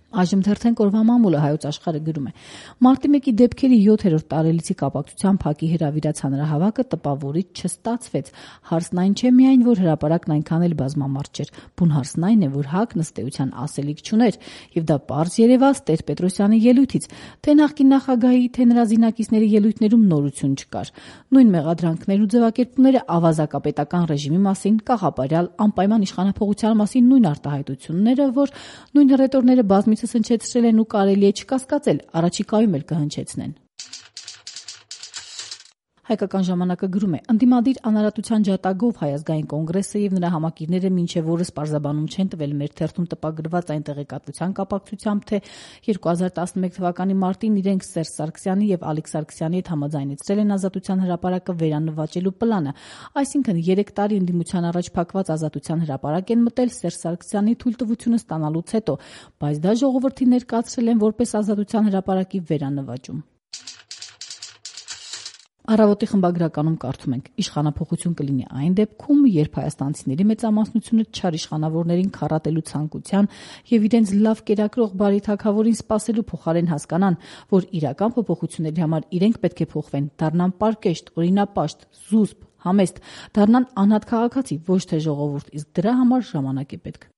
Այժմ թերթենք օրվա մամուլը հայոց աշխարհը գրում է. Մարտի 1-ի դեպքերի 7-րդ տարելիցի կապակցությամբ ՀԱԿ-ի հրավիրած հանրահավաքը տպավորիչ չստացվեց։ Հարցն այն չէ միայն, որ հրապարակն այնքան էլ բազմամարդ չէր, բուն հարցն այն է, որ ՀԱԿ-ն ըստ էության ասելիք չուներ, եւ դա պարզ երևաց Տեր-Պետրոսյանի ելույթից, թե նախկին նախագահի, թե նրա զինակիցների ելույթներում նորություն չկար։ Նույն մեղադրանքներն ու ձևակերպումները ավազակապետական ռեժիմի մասին, կաղապարյալ, անպայման իշխանափոխության մասին նույն արտահայտությունները, որ նույն հռետորները բազմիցս հնչեցրել են ու կարելի է չկասկածել, առաջիկայում էլ կհնչեցնեն։ Հայկական ժամանակը գրում է. ընդդիմադիր անարատության ջատագով Հայ ազգային կոնգրեսը եւ նրա համակիրները մինչեւ օրս պարզաբանում չեն տվել մեր թերթում տպագրված այն տեղեկատվության կապակցությամբ, թե 2011 թվականի մարտին իրենք Սերժ Սարգսյանի եւ Ալիկ Սարգսյանի հետ համաձայնեցրել են Ազատության հրապարակը վերանվաճելու պլանը, այսինքն 3 տարի ընդդիմության առաջ փակված Ազատության հրապարակ են մտել Սերժ Սարգսյանի թույլտվությունը ստանալուց հետո, բայց դա ժողովրդին ներկայացրել են որպես Ազատության հրապարակի վերանվաճում։ Առավոտի խմբագրականում կարդում ենք. իշխանափոխություն կլինի այն դեպքում, երբ հայաստանցիների մեծամասնությունը չար իշխանավորներին քառատելու ցանկության եւ իրենց լավ կերակրող բարի թագավորին սպասելու փոխարեն հասկանան, որ իրական փոփոխությունների համար իրենք պետք է փոխվեն, դառնան պարկեշտ, օրինապաշտ, զուսպ, համեստ, դառնան անհատ քաղաքացի, ոչ թե ժողովուրդ, իսկ դրա համար ժամանակ է պետք։